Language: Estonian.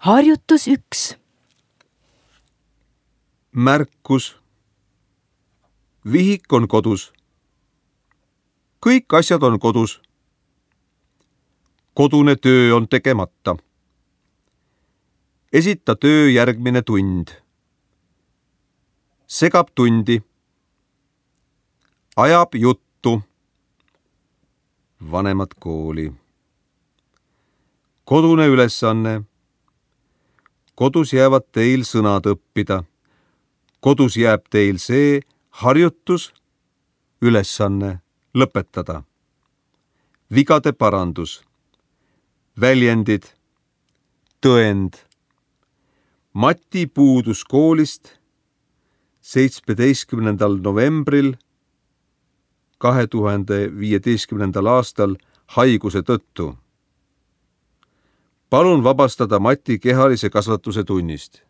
Harjutus 1. Märkus. Vihik on kodus. Kõik asjad on kodus. Kodune töö on tegemata. Esita töö järgmine tund. Segab tundi. Ajab juttu. Vanemad kooli. Kodune ülesanne. Kodus jäävad teil sõnad õppida. Kodus jääb teil see harjutus, ülesanne lõpetada. Vigade parandus. Väljendid. Tõend. Mati puudus koolist 17. novembril 2015. aastal haiguse tõttu. Palun vabastada Mati kehalise kasvatuse tunnist.